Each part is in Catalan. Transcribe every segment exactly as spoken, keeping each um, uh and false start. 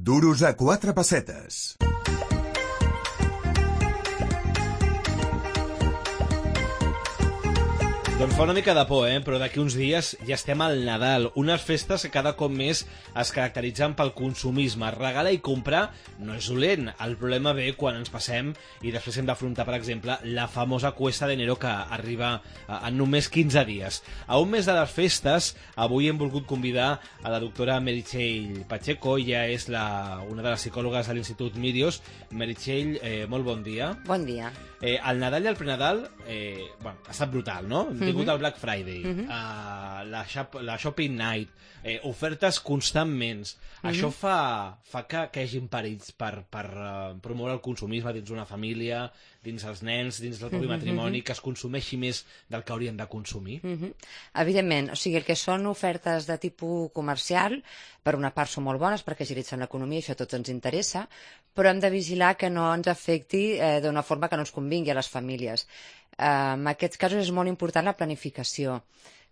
Duros a quatre pessetes. Doncs fa una mica de por, eh? Però d'aquí uns dies ja estem al Nadal. Unes festes que cada cop més es caracteritzen pel consumisme. Regalar i comprar no és dolent. El problema ve quan ens passem i després hem d'afrontar, per exemple, la famosa cuesta d'enero que arriba en només quinze dies. A un mes de les festes, avui hem volgut convidar a la doctora Meritxell Pacheco. Ella és la, una de les psicòlogues de l'Institut Mirios. Meritxell, eh, molt bon dia. Bon dia. Eh, el Nadal i el Prenadal eh, bueno, ha estat brutal, no? Hem tingut el Black Friday, Mhm. uh, la, shop, la Shopping Night, eh, ofertes constantment. Mhm. Això fa, fa que, que hi hagi perills per, per uh, promoure el consumisme dins una família, dins els nens, dins del propi Mhm, matrimoni, mhm. que es consumeixi més del que haurien de consumir. Mhm. Evidentment, o sigui, el que són ofertes de tipus comercial, per una part són molt bones perquè agilitzen l'economia, això a tots ens interessa, però hem de vigilar que no ens afecti eh, d'una forma que no ens convingui a les famílies. Eh, en aquests casos és molt important la planificació.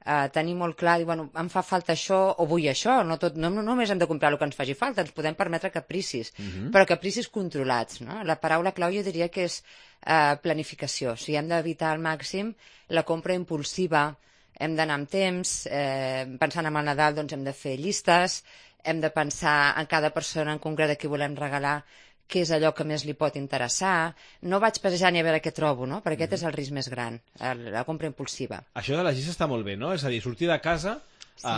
Uh, tenir molt clar, dir, bueno, em fa falta això o vull això, no, tot, no, no només hem de comprar el que ens faci falta, ens podem permetre capricis, Mhm. però capricis controlats, no? La paraula clau jo diria que és uh, planificació, o sigui, hem d'evitar al màxim la compra impulsiva, hem d'anar amb temps, eh, pensant en el Nadal doncs hem de fer llistes, hem de pensar en cada persona en concret a qui volem regalar què és allò que més li pot interessar. No vaig passejant i a veure què trobo, no? Perquè aquest és el risc més gran, el- la compra impulsiva. Això de la llista està molt bé, no? És a dir, sortir de casa Sí. a,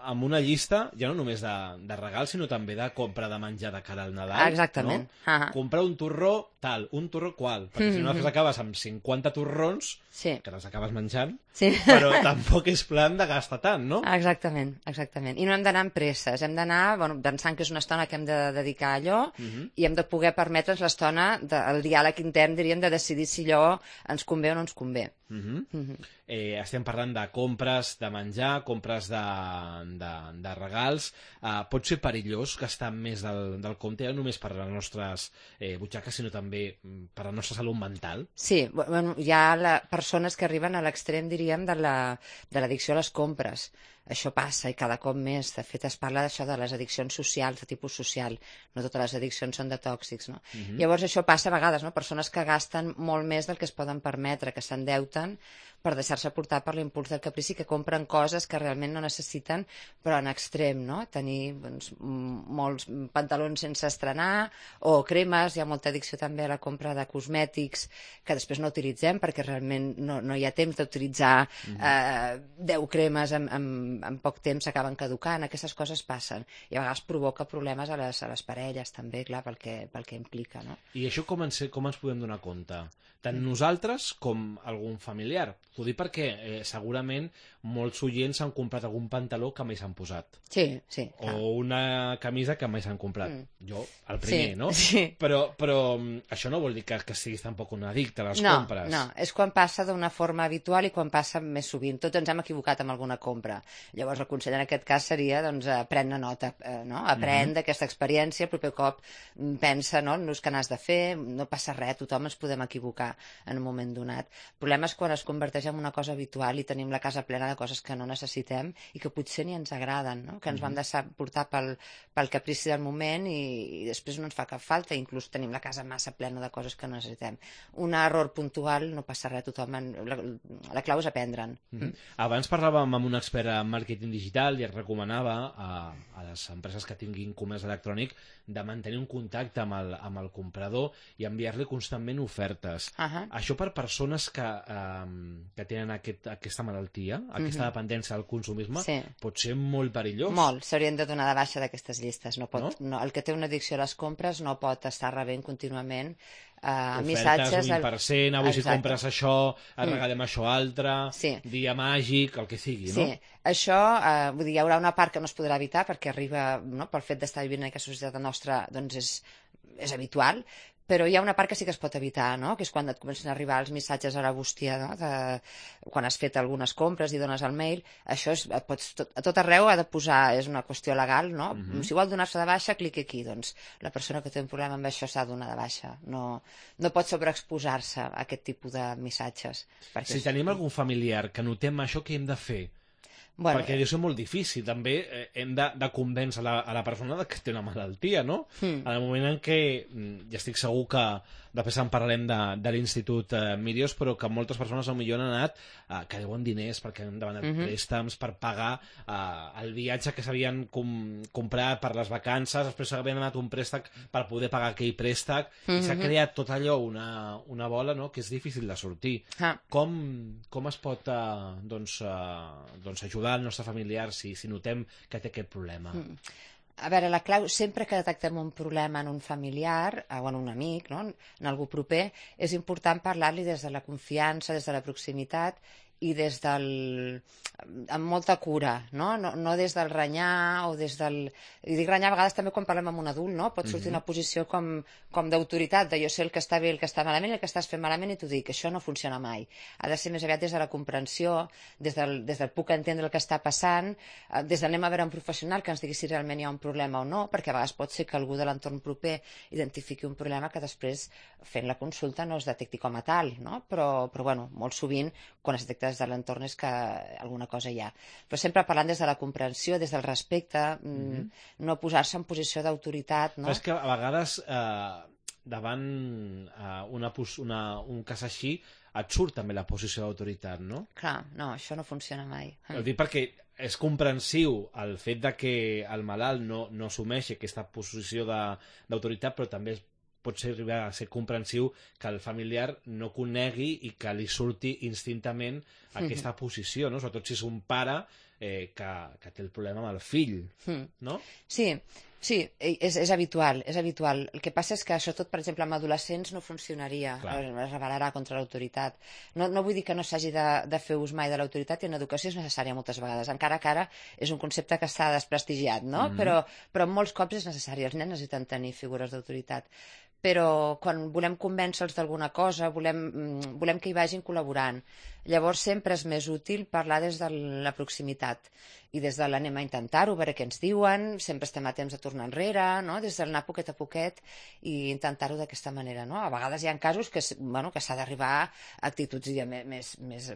a, amb una llista, ja no només de, de regals, sinó també de compra de menjar de cara al Nadal. Exactament. No? Ah. Comprar un torró tal, un torró qual, perquè si no després acabes amb cinquanta torrons, Sí. que les acabes menjant, Sí. però tampoc és plan de gastar tant, no? Exactament, exactament. I no hem d'anar amb presses, hem d'anar bueno, pensant que és una estona que hem de dedicar a allò Mhm. i hem de poder permetre'ns l'estona del diàleg intern, diríem, de decidir si allò ens convé o no ens convé. Mhm. Mhm. Eh, estem parlant de compres de menjar, compres de, de, de regals. Eh, pot ser perillós gastar més del, del compte, ja no només per les nostres eh, butxaques, sinó també mm, per la nostra salut mental. Sí, bueno, hi ha la, persones que arriben a l'extrem, diríem, de la- de l'addicció a les compres. Això passa i cada cop més. De fet, es parla d'això de les addiccions socials, de tipus social. No totes les addiccions són de tòxics, no? Mhm. Llavors, això passa a vegades, no? Persones que gasten molt més del que es poden permetre, que s'endeuten per deixar-se portar per l'impuls del caprici, que compren coses que realment no necessiten, però en extrem, no? Tenir doncs, m- molts pantalons sense estrenar o cremes, hi ha molta addicció també a la compra de cosmètics que després no utilitzem perquè realment no, no hi ha temps d'utilitzar eh, deu cremes en, en, en poc temps s'acaben caducant, aquestes coses passen i a vegades provoca problemes a les, a les parelles també, clar, pel que, pel que implica, no? I això com ens, com ens podem donar compte? Tant nosaltres com algun familiar. T'ho dic perquè eh, segurament molts oients han comprat algun pantaló que mai s'han posat. Sí, sí, clar. O una camisa que mai s'han comprat. Mm. Jo, el primer, Sí, no? sí. Però, però mm, això no vol dir que, que siguis tampoc un addicte a les no, compres. No, és quan passa d'una forma habitual i quan passa més sovint. Tots ens hem equivocat amb alguna compra. Llavors el consell en aquest cas seria doncs, eh, prendre nota, eh, no? Aprèn d'aquesta experiència, el proper cop mm, pensa no, en l'ús que n'has de fer, no passa res, tothom ens podem equivocar en un moment donat. El problema és quan es converteix en una cosa habitual i tenim la casa plena de coses que no necessitem i que potser ni ens agraden, no? Que ens vam deixar portar pel, pel caprici del moment i, i després no ens fa cap falta, inclús tenim la casa massa plena de coses que no necessitem. Un error puntual no passa res, tothom en, la, la clau és aprendre'n. Mhm. Abans parlàvem amb un expert en màrqueting digital i es recomanava a, a les empreses que tinguin comerç electrònic de mantenir un contacte amb el, amb el comprador i enviar-li constantment ofertes. Ahà. Això per persones que, eh, que tenen aquest, aquesta malaltia, aquesta Mhm. dependència al consumisme, Sí. pot ser molt perillós. Molt, s'haurien de donar de baixa d'aquestes llistes. No pot, No? no? El que té una addicció a les compres no pot estar rebent contínuament eh, Ofertes, missatges... un vint per cent, avui si Exacte. compres això, et Mm. regalem això altre, Sí. dia màgic, el que sigui, Sí, no? això, eh, vull dir, hi haurà una part que no es podrà evitar perquè arriba, no, pel fet d'estar vivint en aquesta societat nostra, doncs és, és habitual, però hi ha una part que sí que es pot evitar, no? Que és quan et comencen a arribar els missatges a la bústia, no? De, quan has fet algunes compres i dones el mail, això és, et pots, tot, a tot arreu ha de posar, és una qüestió legal, no? Mhm. Si vol donar-se de baixa, cliqui aquí, doncs la persona que té un problema amb això s'ha de donar de baixa, no, no pot sobreexposar-se a aquest tipus de missatges. Perquè Si és- tenim algun familiar que notem això, què hem de fer? Bueno, perquè deu ser molt difícil. També eh, hem de, de convèncer la, a la persona que té una malaltia, no? Mm. En el moment en què, ja estic segur que després en parlarem de, de l'Institut eh, Mirios, però que moltes persones potser han anat eh, que deuen diners perquè han demanat mm -hmm. préstecs per pagar eh, el viatge que s'havien com, comprat per les vacances, després havien demanat un préstec per poder pagar aquell préstec, mm -hmm. i s'ha creat tot allò, una, una bola, no?, que és difícil de sortir. Ah. Com, com es pot eh, doncs, eh, doncs ajudar al nostre familiar si, si notem que té aquest problema? Mm. A veure, la clau, sempre que detectem un problema en un familiar o en un amic, no?, en algú proper, és important parlar-li des de la confiança, des de la proximitat i des del... amb molta cura, no? No, no des del renyar o des del... I dic renyar a vegades també quan parlem amb un adult, no? Pot sortir una posició com, com d'autoritat, de jo sé el que està bé i el que està malament i el que estàs fent malament i t'ho dic, això no funciona mai. Ha de ser més aviat des de la comprensió, des del, des del puc entendre el que està passant, des d'anem a veure un professional que ens digui si realment hi ha un problema o no, perquè a vegades pot ser que algú de l'entorn proper identifiqui un problema que després, fent la consulta, no es detecti com a tal, no? Però, però bueno, molt sovint, quan es detecta des de l'entorn és que alguna cosa hi ha. Però sempre parlant des de la comprensió, des del respecte, mm-hmm. no posar-se en posició d'autoritat, no? Però és que a vegades eh, davant eh, una, una, un cas així et surt també la posició d'autoritat, no? Clar, no, això no funciona mai. Ho dic perquè és comprensiu el fet de que el malalt no, no assumeixi aquesta posició d'autoritat, però també pot ser arribar a ser comprensiu que el familiar no conegui i que li surti instintament aquesta mm-hmm. posició, no? Sobretot si és un pare eh, que, que té el problema amb el fill, mm. no? Sí, sí, és, és habitual, és habitual. El que passa és que, sobretot, per exemple, amb adolescents no funcionaria, Clar. es rebel·larà contra l'autoritat. No, no vull dir que no s'hagi de, de fer ús mai de l'autoritat, i en educació és necessària moltes vegades, encara que ara és un concepte que està desprestigiat, no? Mm. Però, però molts cops és necessari, els nens necessiten tenir figures d'autoritat. Però quan volem convèncer-los d'alguna cosa, volem, volem que hi vagin col·laborant. Llavors sempre és més útil parlar des de la proximitat i des de l'anem a intentar-ho, veure què ens diuen, sempre estem a temps de tornar enrere, no? Des d'anar poquet a poquet i intentar-ho d'aquesta manera, no? A vegades hi ha casos que, bueno, que s'ha d'arribar a actituds ja, més, més,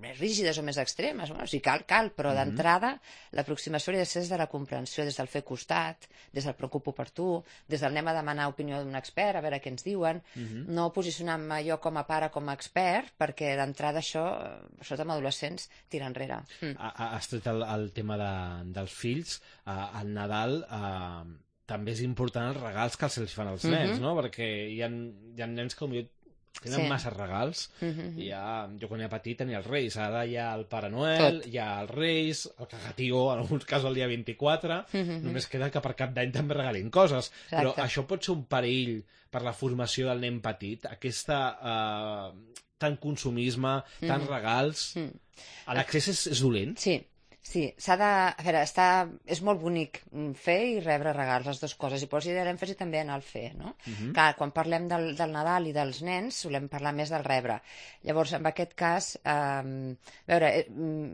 més rígides o més extremes. Bueno, si cal, cal, però mm-hmm. d'entrada l'aproximació hauria de ser des de la comprensió, des del fer costat, des del preocupo per tu, des del anem a demanar opinió d'un expert, a veure què ens diuen, mm-hmm. no posicionar-me jo com a pare, com a expert, perquè d'entrada això, sobretot amb adolescents, tira enrere. Mm. Has tret el, el tema de, dels fills, eh, al Nadal eh, també és important els regals que se'ls fan als nens, mm-hmm. no? Perquè hi ha, hi ha nens que potser tenen sí. massa regals. Mm-hmm. Hi ha, jo quan era petit tenia els Reis, ara hi ha el Pare Noel, Tot. hi ha els Reis, el Cagatió, en alguns casos el dia vint-i-quatre, mm-hmm. només queda que per Cap d'Any també regalin coses. Exacte. Però això pot ser un perill per la formació del nen petit, aquesta eh, tant consumisme, tant mm-hmm. regals. Mm. L'accés és, és dolent? Sí. Sí, s'ha de... A veure, està... és molt bonic fer i rebre regals, les dues coses, i posi l'èmfasi també en el fer, no? Uh-huh. Clar, quan parlem del, del Nadal i dels nens, solem parlar més del rebre. Llavors, en aquest cas, eh, veure,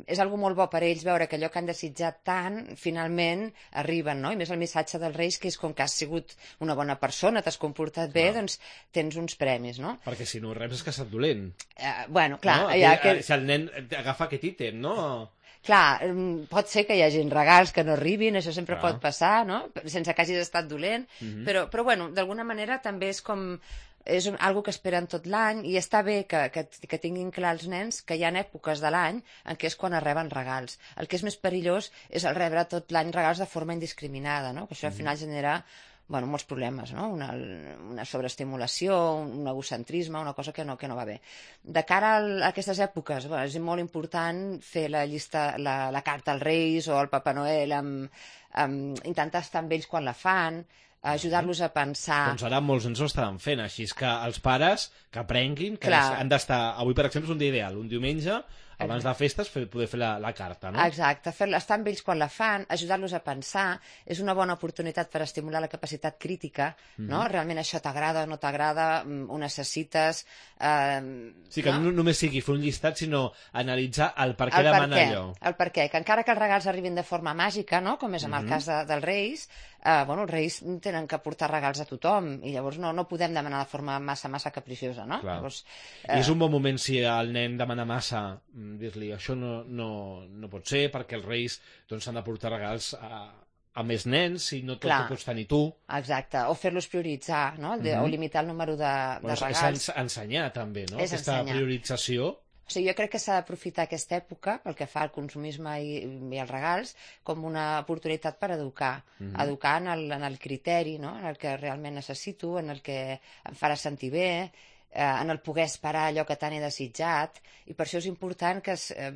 és algo molt bo per ells veure que allò que han desitjat tant, finalment arriben, no? I més el missatge dels Reis, que és com que has sigut una bona persona, t'has comportat bé, clar. Doncs tens uns premis, no? Perquè si no reps és que ha estat dolent. Eh, bueno, clar... No? Ja, que... Si el nen agafa aquest ítem, no? Clar, pot ser que hi hagi regals que no arribin, això sempre Clar. pot passar, no? Sense que hagis estat dolent, mm-hmm. però, però bueno, d'alguna manera també és com... és un, algo que esperen tot l'any i està bé que, que, que tinguin clar els nens que hi ha èpoques de l'any en què és quan es reben regals. El que és més perillós és el rebre tot l'any regals de forma indiscriminada, no? Que això al final genera... bueno, molts problemes, no? Una, una sobreestimulació, un egocentrisme, una cosa que no, que no va bé. De cara a aquestes èpoques, bueno, és molt important fer la llista, la, la carta als Reis o al Papa Noel, amb, amb, intentar estar amb ells quan la fan, ajudar-los a pensar... Doncs ara molts ens ho estaran fent, així és que els pares que aprenguin, que Clar. han d'estar... Avui, per exemple, és un dia ideal, un diumenge, abans de festes, fer, poder fer la, la carta, no? Exacte, fer, estar amb ells quan la fan, ajudar-los a pensar, és una bona oportunitat per estimular la capacitat crítica, mm-hmm. no? Realment això t'agrada o no t'agrada, ho necessites... Eh, sí, que no? no només sigui fer un llistat, sinó analitzar el per què el demana per què, allò. El per què, que encara que els regals arribin de forma màgica, no? Com és en mm-hmm. el cas de, dels Reis, eh, bueno, els Reis tenen que portar regals a tothom, i llavors no, no podem demanar de forma massa, massa capriciosa, no? Llavors, eh... I és un bon moment si el nen demana massa... dir-li això no, no, no pot ser perquè els reis doncs, s'han de portar regals a, a més nens i no tot Clar. ho pots tenir tu. Exacte, o fer-los prioritzar, no? De, Mhm. o limitar el número de, de Bueno, és regals. ens- ensenyar també, no? És Aquesta ensenyar. priorització. O sigui, jo crec que s'ha d'aprofitar aquesta època, pel que fa al consumisme i, i als regals, com una oportunitat per educar. Mhm. Educar en el, en el criteri, no? En el que realment necessito, en el que em farà sentir bé, eh, en el poder esperar allò que tant he desitjat, i per això és important que, es, eh,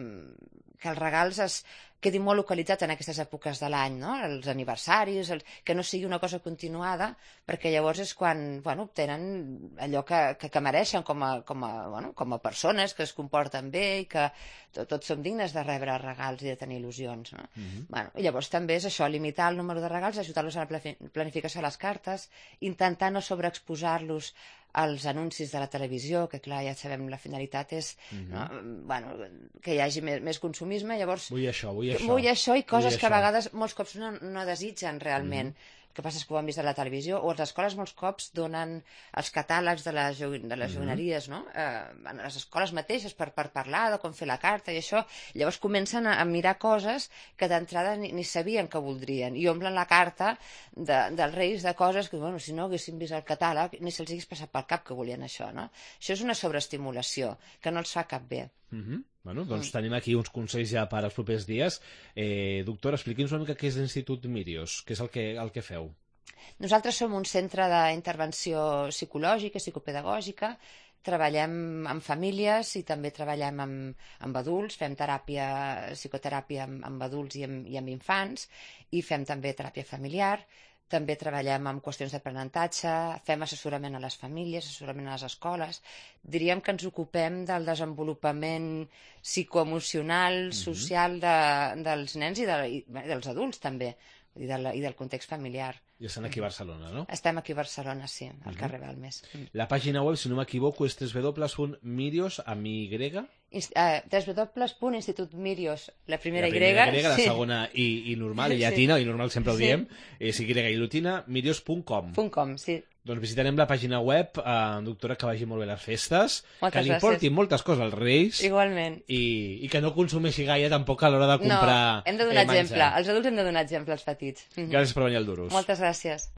que els regals es quedin molt localitzats en aquestes èpoques de l'any, no? Els aniversaris, el, que no sigui una cosa continuada, perquè llavors és quan bueno, obtenen allò que, que, que mereixen com a, com, a, bueno, com a persones que es comporten bé i que to, tots som dignes de rebre regals i de tenir il·lusions. No? Mhm. Bueno, i llavors també és això, limitar el número de regals, ajudar-los a la plafi- planificació de les cartes, intentar no sobreexposar-los als anuncis de la televisió, que clar, ja sabem, la finalitat és Mhm. no, bueno, que hi hagi més, més consumisme, llavors Vull això, vull això. vull això i coses Vull que a això. vegades molts cops no, no desitgen realment. El que passa és que ho han vist a la televisió, o les escoles molts cops donen els catàlegs de les, jo- de les Mhm. joguineries, no? Eh, en les escoles mateixes per, per parlar de com fer la carta i això. Llavors comencen a, a mirar coses que d'entrada ni, ni sabien que voldrien i omplen la carta de, dels reis de coses que, bueno, si no haguessin vist el catàleg ni se'ls hagués passat pel cap que volien això, no? Això és una sobreestimulació que no els fa cap bé. Mhm. Bueno, doncs tenim aquí uns consells ja per als propers dies. Eh, doctor, expliqui'ns una mica què és l'Institut Mírios, què és el que, el que feu. Nosaltres som un centre d'intervenció psicològica, psicopedagògica, treballem amb famílies i també treballem amb, amb adults, fem teràpia, psicoteràpia amb, amb adults i amb, i amb infants, i fem també teràpia familiar, també treballem amb qüestions d'aprenentatge, fem assessorament a les famílies, assessorament a les escoles. Diríem que ens ocupem del desenvolupament psicoemocional, social de, dels nens i, de, i bé, dels adults també, i, de la, i del context familiar. I estan aquí a Barcelona, no? Estem aquí a Barcelona, sí, al carrer Balmes. La pàgina web, si no m'equivoco, és w w w punt mirios amb Y. Inst uh, w w w punt institut mírios, la primera, La primera Y, grega, la sí, segona i, i normal, i Sí. llatina, i normal sempre ho Sí. diem, és Y i latina, mirios punt com. punt com, sí. Doncs visitarem la pàgina web, eh, doctora, que vagi molt bé les festes, Moltes que li gràcies. portin moltes coses als Reis Igualment. i, i que no consumeixi gaire tampoc a l'hora de comprar No, hem de donar eh, menjar. exemple. Els adults hem de donar exemple als petits. Mhm. Gràcies per venir al Duros. Moltes gràcies.